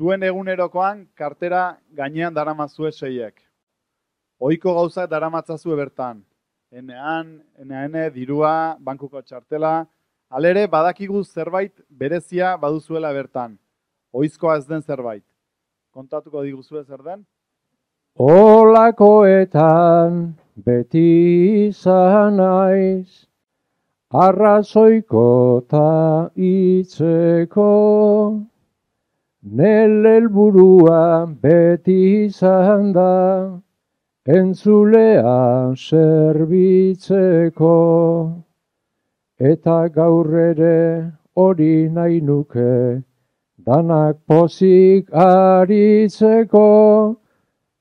Zuen egunerokoan kartera gainean daramazue seiek. Ohiko gauzak daramatzazue bertan. Ene, dirua, bankuko txartela. Halere, badakigu zerbait berezia baduzuela bertan. Ohizkoa ez den zerbait. Kontatuko diguzue zer den? Olakoetan beti izan naiz, arrazoiko ta hitzeko, nire helburua beti izan da, entzulea zerbitzeko, eta gaur ere hori nahi nuke, danak pozik aritzeko,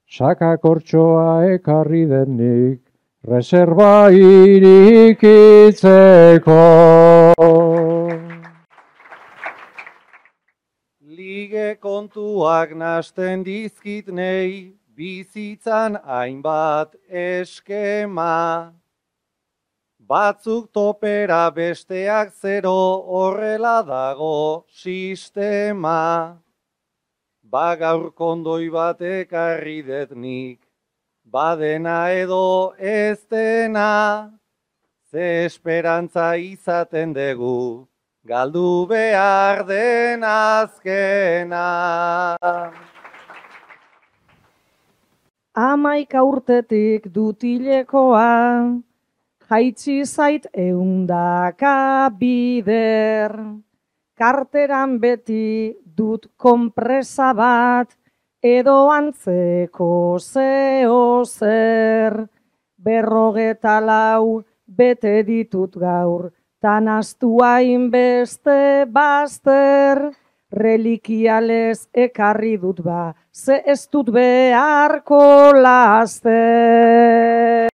sakakortxoa ekarri denik, reserba irikitzeko. Lige kontuak nasten dizkit nei, bizitzan hainbat eskema. Batzuk topera besteak zero, horrela dago sistema. Gaur kondoi bat ekarri detnik, badena edo ez dena, ze esperantza izaten dugu, galdu behar den azkena. 11 urtetik dutilekoa, jaitsi zait 100 bider, karteran beti dut konpresa bat, edo antzeko zeo zer, 54 bete ditut gaur, tan astu hainbeste bazter, relikialez ekarri dut ba, ze ez dut beharko laster.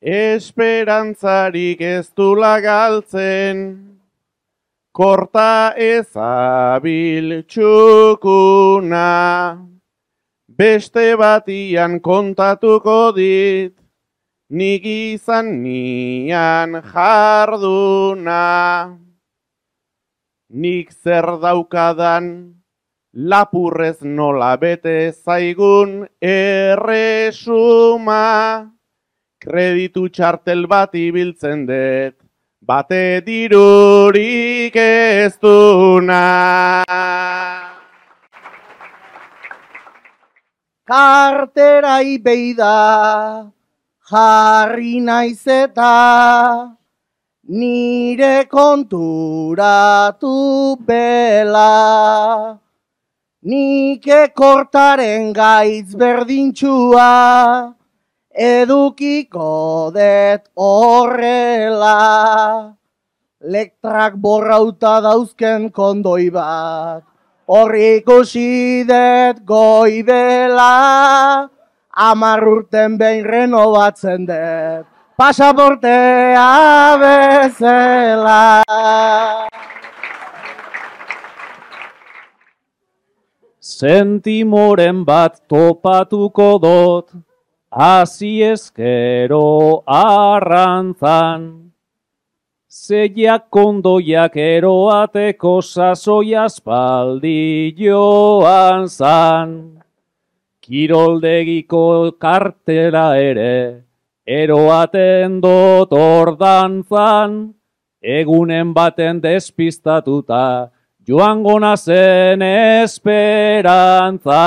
Esperantzarik ez dula galtzen, korta ezabil txukuna, beste batian kontatuko dit, nik izan nian jarduna. Nik zer daukadan, lapurrez nola bete zaigun erresuma, kreditu txartel bat ibiltzen dut, bate dirurik ez duna. Karterai beida, jarri naiz eta, nire konturatu bela. Nik ekortaren gaitz berdintxua, edukiko det horrela. Lektrak borrauta dauzken kondoi bat, horri ikusi det goibela. 10 urten behin renovatzen det, pasaportea bezala. Sentimoren bat topatuko dot, hasi ezkero arrantzan, zeiak kondoiak eroateko sasoi aspaldi joan zan. Kiroldegiko kartela ere, eroaten dot ordantzan, egunen baten despistatuta, joango nazen esperantza.